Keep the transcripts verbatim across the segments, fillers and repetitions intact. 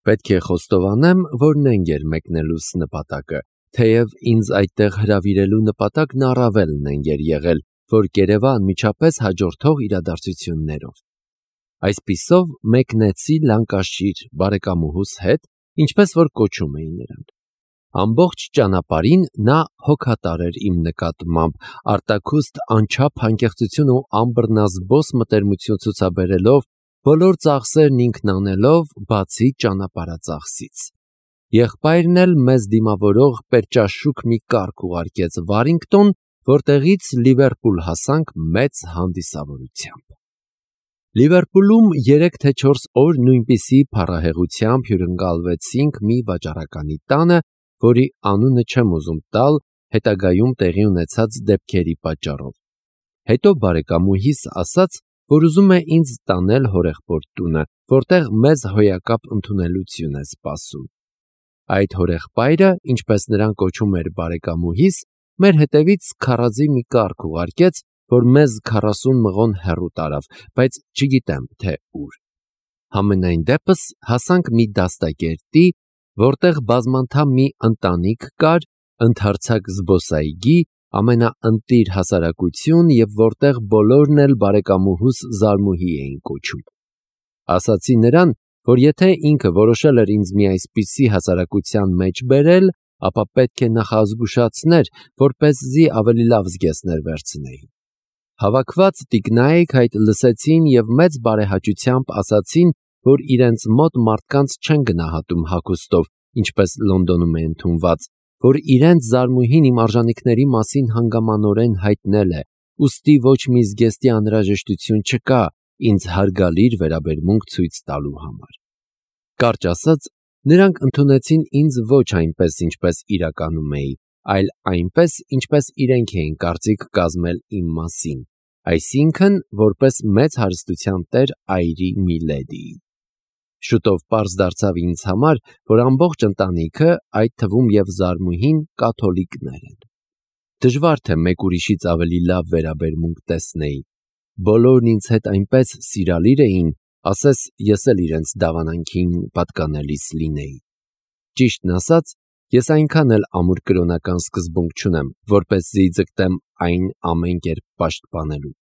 Պետք է խոստովանեմ, որ նենք էր մեկնելուս նպատակը, թեև ինձ այդտեղ հրավիրելու նպատակն առավել նենք էր եղել, որ կերևա անմիջապես հաջորդող իրադարձություններով։ Այսպիսով մեկնեցի Լանկաշիր բարեկամուհուս հետ, ինչպես որ կոչում էի նրան։ Ամբողջ ճանապարհին նա հոգատար էր իմ նկատմամբ, արտաքուստ անչափ անկեղծություն ու անբռնազբոս մտերմություն ցուցաբերելով, բոլոր ծախսերն ինքն անելով, բացի ճանապարհածախսից։ Եղբայրն էլ մեզ դիմավորող պերճաշուք մի կառք ուղարկեց Վարինգտոն, որտեղից Լիվերպուլ հասանք մեծ հանդիսավորությամբ։ Լիվերպուլում երեք թե չորս օր նույնպիսի փառահեղությամբ հյուրընկալվեցինք մի վաճառականի տանը, որի անունը չեմ ուզում տալ հետագայում տեղի ունեցած դեպքերի պատճառով։ Հետո բարեկամուհիս ասաց, որ ուզում է ինձ տանել հորեղբորդ տունը, որտեղ մեզ հոյակապ ընդունելություն է սպասում։ Այդ հորեղբայրը, ինչպես նրան կոչում էր բարեկամուհիս, մեր հետևից քարաձի մի կառք ուղարկեց, որ մեզ քառասուն մղոն հեռու տարավ, բայց չգիտեմ, թե ուր։ Համենայն դեպս հասանք մի դաստակերտի, որտեղ բազմանդամ մի ընտանիք կար, ընդարձակ զբոսայգի, ամենաընտիր հասարակություն և որտեղ բոլորն էլ բարեկամուհուս Զարմուհի էին կոչում։ Ասացի նրան, որ եթե ինքը որոշել էր ինձ մի այսպիսի հասարակության մեջ բերել, ապա պետք է նախազգուշացներ, որպեսզի ավելի լավ զգեստներ վերցնեի։ Հավաքված տիկնայք այդ լսեցին և մեծ բարեհաճությամբ ասացին, որ իրենց մոտ մարդկանց չեն գնահատում հագուստով, ինչպես Լոնդոնում է ընդունված, որ իրենց Զարմուհին իմ արժանիքների մասին հանգամանորեն հայտնել է, ուստի ոչ մի զգեստի անհրաժեշտություն չկա ինձ հարգալիր վերաբերմունք ցույց տալու համար։ Կարճ ասած, նրանք ընդունեցին ինձ ոչ այնպես, ինչպես իրականում էի, այլ այնպես, ինչպես իրենք էին կարծիք կազմել իմ մասին, այսինքն, որպես մեծ հարստության տեր այրի մի լեդիի։ Շուտով պարզ դարձավ ինձ համար, որ ամբողջ ընտանիքը, այդ թվում և Զարմուհին, կաթոլիկներ են։ Դժվար թե մեկ ուրիշից ավելի լավ վերաբերմունք տեսնեի։ Բոլորն ինձ հետ այնպես սիրալիր էին, ասես ես էլ իրենց դավանանքին պատկանելիս լինեի։ Ճիշտն ասած, ես այնքան էլ ամուր կրոնական սկզբունք չունեմ, որպեսզի ձգտեմ այն ամեն կերպ պաշտպանելու։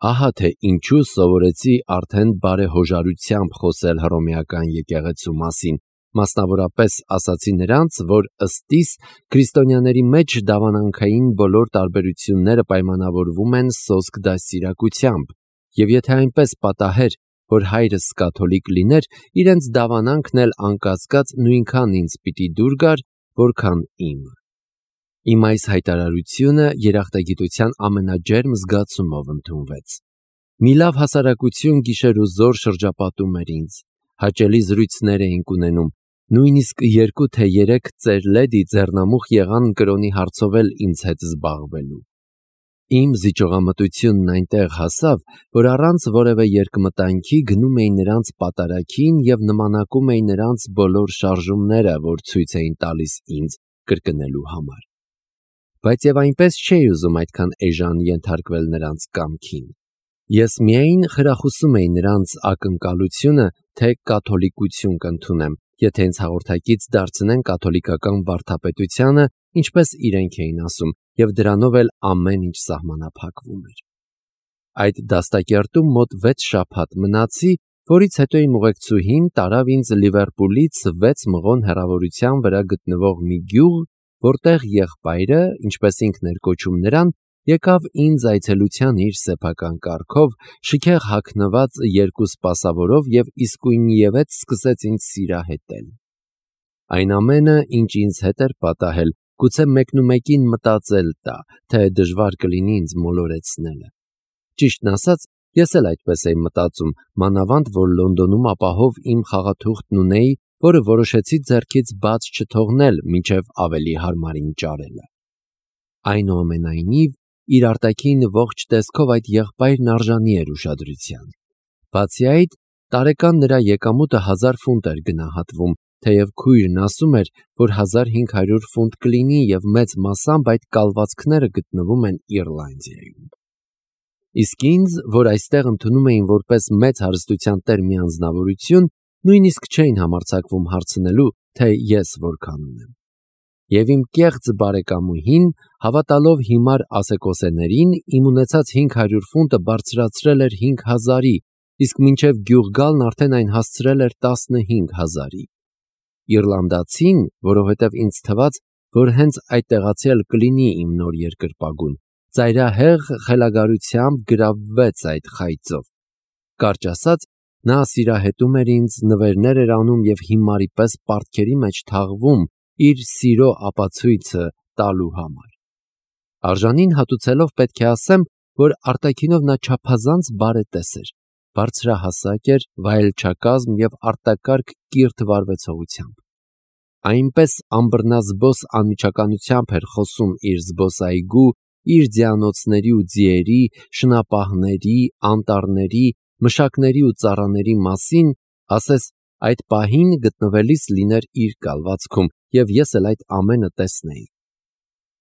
Ահա թե ինչու սովորեցի արդեն բարեհոժարությամբ խոսել հռոմեական եկեղեցու մասին, մասնավորապես ասացի նրանց, որ ըստ իս քրիստոնյաների մեջ դավանանքային բոլոր տարբերությունները պայմանավորվում են սոսկ դաստիարակությամբ, և եթե այնպես պատահեր, որ հայրս կաթոլիկ լիներ, իրենց դավանանքն էլ անկասկած նույնքան ինձ պիտի դուր գար, որքան իմը։ Իմ այս հայտարարությունը երախտագիտության ամենաջերմ զգացումով ընդունվեց։ Մի լավ հասարակություն գիշեր ու զօր շրջապատում էր ինձ, հաճելի զրույցներ էինք ունենում, նույնիսկ երկու թե երեք ծեր լեդի ձեռնամուխ եղան կրոնի հարցով էլ ինձ հետ զբաղվելու։ Իմ զիջողամտությունն այնտեղ հասավ, որ առանց որևէ երկմտանքի գնում էի նրանց պատարագին և նմանակում էի նրանց բոլոր շարժումները, որ ցույց էին տալիս ինձ կրկնելու համար։ Բայց և այնպես չէի ուզում այդքան էժան ենթարկվել նրանց կամքին։ Ես միայն խրախուսում էի նրանց ակնկալությունը, թե կաթոլիկություն կընդունեմ, եթե ինձ հաղորդակից դարձնեն կաթոլիկական վարդապետությանը, ինչպես իրենք էին ասում, և դրանով էլ ամեն ինչ սահմանափակվում էր։ Այդ դաստակերտում մոտ վեց շաբաթ մնացի, որից հետո իմ ուղեկցուհին տարավ ինձ Լիվերպուլից վեց մղոն հեռավորության վրա գտնվող մի գյուղ, որտեղ եղբայրը, ինչպես ինքն էր կոչում նրան, եկավ ինձ այցելության իր սեփական կառքով, շքեղ հագնված երկու սպասավորով և իսկույնևեթ սկսեց ինձ սիրահետել։ Այն ամենը, ինչ ինձ հետ էր պատահել, գուցե մեկնումեկին մտածել տա, թե դժվար կլինի ինձ մոլորեցնելը։ Ճիշտն ասած, ես էլ այդպես էի մտածում, մանավանդ որ Լոնդոնում ապահով իմ խաղաթուղթն ունեի, որը որոշեցի ձեռքից բաց չթողնել, մինչև ավելի հարմարին ճարելը։ Այնուամենայնիվ, իր արտաքին ողջ տեսքով այդ եղբայրն արժանի էր ուշադրության։ Բացի այդ, տարեկան նրա եկամուտը հազար ֆունտ էր գնահատվում, թեև քույրն ասում էր, որ հազար հինգ հարյուր ֆունտ կլինի և մեծ մասամբ այդ կալվածքները գտնվում են Իռլանդիայում։ Իսկ ինձ, որ այստեղ ընդունում էին որպես մեծ հարստության տեր մի անձնավորություն, նույնիսկ չէին համարձակվում հարցնելու, թե ես որքան ունեմ։ Եվ իմ կեղծ բարեկամուհին, հավատալով հիմար ասեկոսեներին, իմ ունեցած հինգ հարյուր ֆունտը բարձրացրել էր հինգ հազարի, իսկ մինչև գյուղ գալն արդեն այն հասցրել էր տասնհինգ հազարի։ Իռլանդացին, որովհետև ինձ թվաց, որ հենց այդ տեղացի էլ կլինի իմ նոր երկրպագուն, ծայրահեղ խելագարությամբ գրավվեց այդ խայծով։ Կարճ ասած, նա սիրահետում էր ինձ, նվերներ էր անում և հիմարի պես պարտքերի մեջ թաղվում իր սիրո ապացույցը տալու համար։ Արժանին հատուցելով պետք է ասեմ, որ արտաքինով նա չափազանց բարետես էր, բարձրահասակ էր, վայելչակազմ և արտակարգ կիրթ վարվեցողությամբ։ Այնպես անբռնազբոս անմիջականությամբ էր խոսում իր զբոսայգու, իր ձիանոցների ու ձիերի, շնապահների, անտառների, մշակների ու ծառաների մասին, ասես այդ պահին գտնվելիս լիներ իր կալվածքում, և ես էլ այդ ամենը տեսնեի։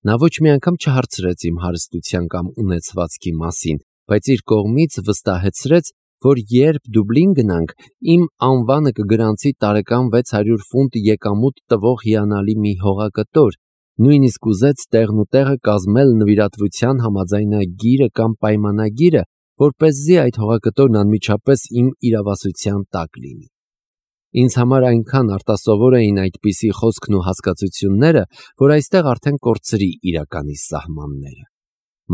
Նա ոչ մի անգամ չհարցրեց իմ հարստության կամ ունեցվածքի մասին, բայց իր կողմից վստահեցրեց, որ երբ Դուբլին գնանք, իմ անվանը կգրանցի տարեկան վեց հարյուր ֆունտ եկամուտ տվող հիանալի մի հողակտոր, նույնիսկ ուզեց տեղն ու տեղը կազմել նվիրատվության համաձայնագիրը կամ պայմանագիրը, որպեսզի այդ հողակտորն անմիջապես իմ իրավասության տակ լինի։ Ինձ համար այնքան արտասովոր էին այդպիսի խոսքն ու հասկացությունները, որ այստեղ արդեն կորցրի իրականի սահմանները։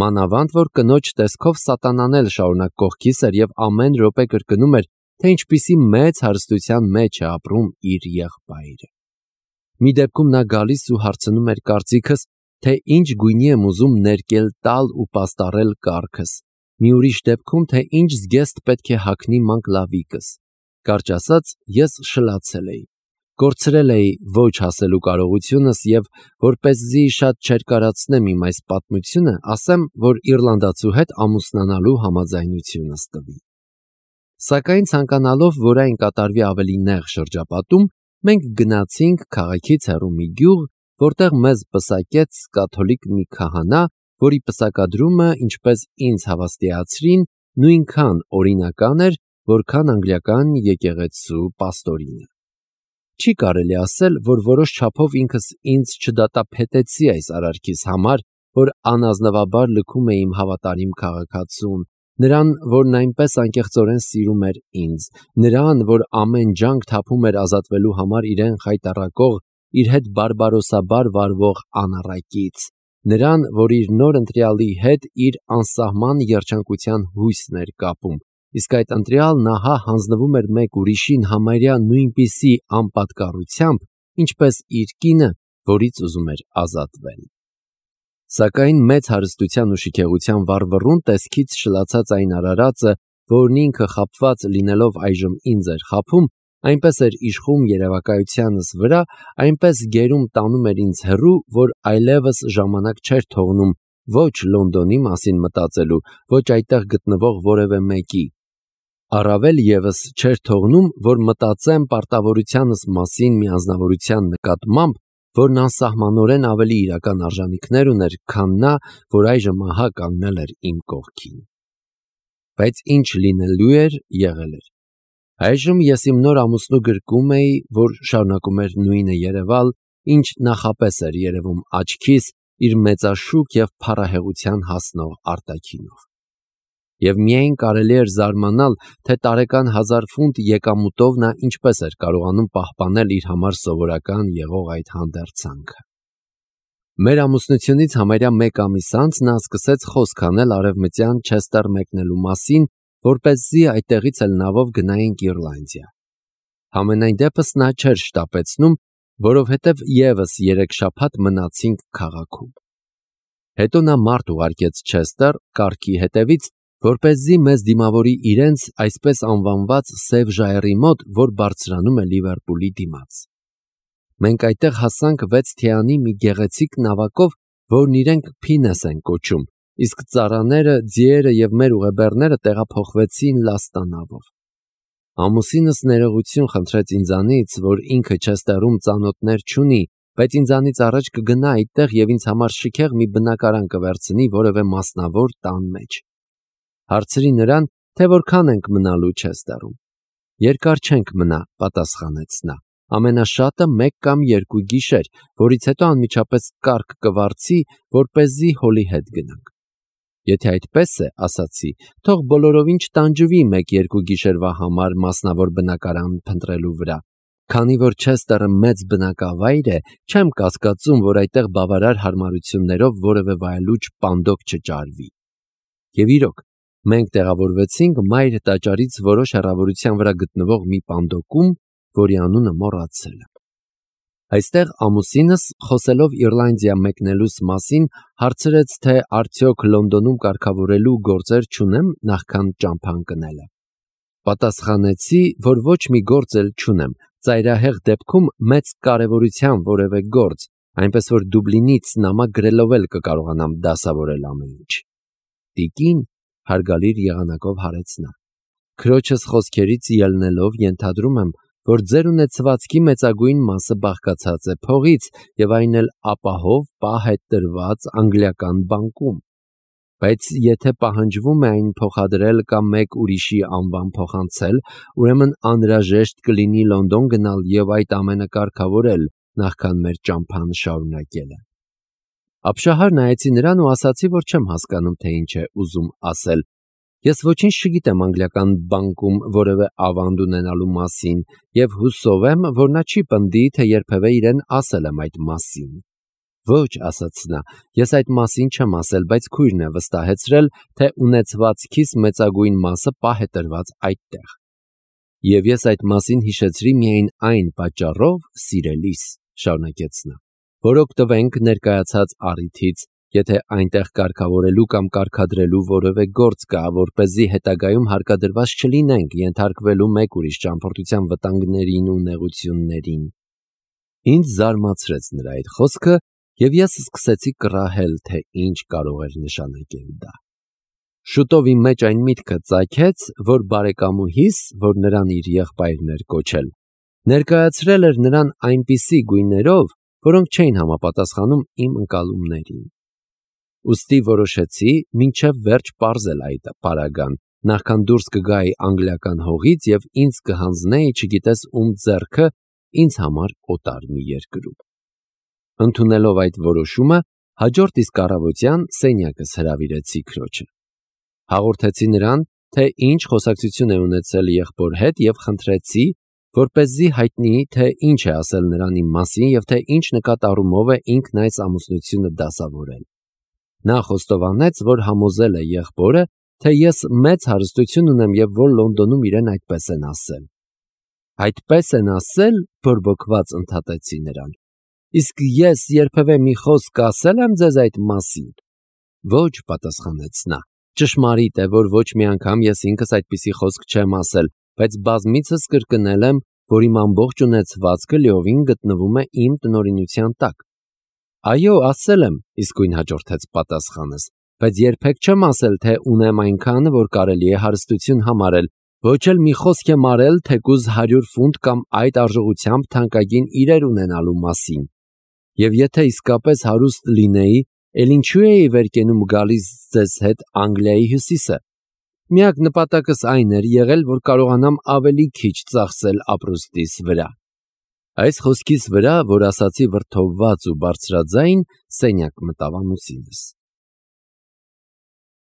Մանավանդ, որ կնոջ տեսքով սատանան էլ շարունակ կողքիս էր և ամեն րոպե կրկնում էր, թե ինչպիսի մեծ հարստության մեջ է ապրում իր եղբայրը։ Մի դեպքում նա գալիս ու հարցնում էր կարծիքս, թե ինչ գույնի եմ ուզում ներկել տալ ու պաստառել կառքս, մի ուրիշ դեպքում, թե ինչ զգեստ պետք է հագնի մանկ լավիկս։ Կարճ ասած, ես շլացել էի, կորցրել էի ոչ հասելու կարողությունս և, որպեսզի շատ չերկարացնեմ իմ այս պատմությունը, ասեմ, որ իռլանդացու հետ ամուսնանալու համաձայնությունս տվի։ Սակայն ցանկանալով, որ այն կատարվի ավելի նեղ շրջապատում, մենք գնացինք քաղաքից հեռու մի գյուղ, որտեղ մեզ պսակեց կաթոլիկ մի քահանա, որի պսակադրումը, ինչպես ինձ հավաստիացրին, նույնքան օրինական էր, որքան անգլիական եկեղեցու պաստորինը։ Չի կարելի ասել, որ որոշ չափով ինքս ինձ չդատապետեցի այս արարքիս համար, որ անազնվաբար լքում է իմ հավատարիմ քաղաքացուն, նրան, որն այնպես անկեղծորեն սիրում էր ինձ, նրան, որ ամեն ջանք թափում էր ազատվելու համար իրեն խայտառակող, իր հետ բարբարոսաբար վարվող անառակից, նրան, որ իր նոր ընտրյալի հետ իր անսահման երջանկության հույսն էր կապում, իսկ այդ ընտրյալն ահա հանձնվում էր մեկ ուրիշին համարյա նույնպիսի անպատկառությամբ, ինչպես իր կինը, որից ուզում էր ազատվել։ Սակայն մեծ հարստության ու շքեղության վառվռուն տեսքից շլացած այն արարածը, որն ինքը խաբված լինելով այժմ ինձ էր խաբում, այնպես էր իշխում երևակայությանս վրա, այնպես գերում տանում էր ինձ հեռու, որ այլևս ժամանակ չէր թողնում ոչ Լոնդոնի մասին մտածելու, ոչ այդտեղ գտնվող որևէ մեկի։ Առավել ևս չէր թողնում, որ մտածեմ պարտավորությանս մասին մի անձնավորության նկատմամբ, որն անսահմանորեն ավելի իրական արժանիքներ ուներ, քան նա, որ այժմ ահա կանգնել էր իմ կողքին։ Բայց ինչ լինելու էր, եղել էր։ Այժմ ես իմ նոր ամուսնու գրկում էի, որ շարունակում էր նույնը երևալ, ինչ նախապես էր երևում աչքիս իր մեծաշուք և փառահեղության հասնող արտաքինով։ Եվ միայն կարելի էր զարմանալ, թե տարեկան հազար ֆունտ եկամուտով նա ինչպես էր կարողանում պահպանել իր համար սովորական եղող այդ հանդերձանքը։ Մեր ամուսնությունից համարյա մեկ ամիս անց նա սկսեց խոսք անել արևմտյան Չեսթեր մեկնելու մասին, որպեսզի այդտեղից էլ նավով գնայինք Իռլանդիա։ Համենայն դեպս նա չէր շտապեցնում, որովհետև ևս երեք շաբաթ մնացինք քաղաքում։ Հետո նա մարդ ուղարկեց Չեսթեր կառքի հետևից, որպեսզի մեզ դիմավորի իրենց այսպես անվանված սև ժայռի մոտ, որ բարձրանում է Լիվերպուլի դիմաց։ Մենք այդտեղ հասանք վեց թիանի մի գեղեցիկ նավակով, որն իրենք Փինես են կոչում, իսկ ծառաները, ձիերը և մեր ուղեբեռները տեղափոխվեցին լաստանավով։ Ամուսինս ներողություն խնդրեց ինձանից, որ ինքը Չեսթերում ծանոթներ չունի, բայց ինձանից առաջ կգնա այդտեղ և ինձ համար շքեղ մի բնակարան կվերցնի որևէ մասնավոր տան մեջ։ Հարցրի նրան, թե որքան ենք մնալու Չեսթերում։ Երկար չենք մնա, պատասխանեց նա։ Ամենաշատը մեկ կամ երկու գիշեր, որից հետո անմիջապես կարգ կվարձի, որպեսզի հոլի հետ գնանք։ Եթե այդպես է, ասացի, թող բոլորովին չտանջվի մեկ-երկու գիշերվա համար մասնավոր բնակարան փնտրելու վրա։ Քանի որ Չեսթերը մեծ բնակավայր է, չեմ կասկածում, որ այդտեղ բավարար հարմարություններով որևէ վայելուչ պանդոկ չճարվի։ Եվ իրոք, մենք տեղավորվեցինք մայր տաճարից որոշ հեռավորության վրա գտնվող մի պանդոկում, որի անունը մոռացել եմ։ Այստեղ ամուսինս, խոսելով Իռլանդիա մեկնելուս մասին, հարցրեց, թե արդյոք Լոնդոնում կարգավորելու գործեր չունեմ նախքան ճամփան կնելը։ Պատասխանեցի, որ ոչ մի գործ էլ չունեմ, ծայրահեղ դեպքում մեծ կարևորության որևէ գործ, այնպես որ Դուբլինից նամակ գրելով էլ կկարողանամ դասավորել ամեն ինչ։ Տիկին, հարգալիր եղանակով հարեց նա, քրոջս խոսքերից ելնելով ենթադրում եմ, որ ձեր ունեցվածքի մեծագույն մասը բաղկացած է փողից եւ այն էլ ապահով պահ է տրված անգլիական բանկում, բայց եթե պահանջվում է այն փոխադրել կամ մեկ ուրիշի անվան փոխանցել, ուրեմն անհրաժեշտ կլինի Լոնդոն գնալ եւ այդ ամենը կարգավորել նախքան մեր ճամփան շարունակելը։ Ապշահար նայեցի նրան ու ասացի, որ չեմ հասկանում, թե ինչ է ուզում ասել։ Ես ոչինչ չգիտեմ անգլիական բանկում որևէ ավանդ ունենալու մասին եւ հուսով եմ, որ նա չի պնդի, թե երբևէ իրեն ասել եմ այդ մասին։ Ոչ, ասաց նա, ես այդ մասին չեմ ասել, բայց քույրն է վստահեցրել, թե ունեցվածքիս մեծագույն մասը պահ է տրված այդտեղ։ Եվ ես այդ մասին հիշեցրի միայն այն պատճառով, սիրելիս, շարունակեց նա, որ օգտվենք ներկայացած առիթից, եթե այնտեղ կարգավորելու կամ կարգադրելու որևէ գործ կա, որպեսզի հետագայում հարկադրված չլինենք ենթարկվելու մեկ ուրիշ ճամփորդության վտանգներին ու նեղություններին։ Ինձ զարմացրեց նրա այդ խոսքը, եւ ես սկսեցի կռահել, թե ինչ կարող էր նշանակել դա։ Շուտով իմ մեջ այն միտքը ծագեց, որ բարեկամուհիս, որ նրան իր եղբայրն էր կոչել, ներկայացրել էր նրան այնպիսի գույներով, որոնք չէին համապատասխանում իմ ընկալումներին։ Ուստի որոշեցի մինչև վերջ պարզել այդ պարագան, նախքան դուրս կգայի անգլիական հողից եւ ինձ կհանձնեի չգիտես ում ձեռքը ինձ համար օտար մի երկրում։ Ընդունելով այդ որոշումը, հաջորդ իսկ առավոտյան սենյակս հրավիրեցի քրոջը։ Հաղորդեցի նրան, թե ինչ խոսակցություն է ունեցել եղբոր հետ եւ խնդրեցի, որպեսզի հայտնի, թե ինչ է ասել նրան իմ մասին եւ թե ինչ նկատառումով է ինքն այս ամուսնությունը դասավորել։ Նա խոստովանեց, որ համոզել է եղբորը, թե ես մեծ հարստություն ունեմ եւ որ Լոնդոնում իրեն այդպես են ասել։ Այդպես են ասել, բորբոքված ընդհատեցի նրան։ Իսկ ես երբևէ մի խոսք ասել եմ ձեզ այդ մասին։ Ոչ, պատասխանեց նա։ Ճշմարիտ է, որ ոչ մի անգամ ես ինքս այդպիսի խոսք չեմ ասել, բայց բազմիցս կրկնել եմ, որ իմ ամբողջ ունեցվածքը լիովին գտնվում է իմ տնօրինության տակ։ Այո, ասել եմ, իսկույն հաջորդեց պատասխանս, բայց երբեք չեմ ասել, թե ունեմ այնքանը, որ կարելի է հարստություն համարել, ոչ էլ մի խոսք եմ արել թեկուզ հարյուր ֆունտ կամ այդ արժողությամբ թանկագին իրեր ունենալու մասին։ Եվ եթե իսկապես հարուստ լինեի, էլ ինչու էի վեր կենում գալիս ձեզ հետ Անգլիայի հյուսիսը։ Միակ նպատակս այն էր եղել, որ կարողանամ ավելի քիչ ծախսել ապրուստիս վրա։ Այս խոսքից վրա, որ ասացի վրդովված ու բարձրաձայն, սենյակ մտավ ամուսինս։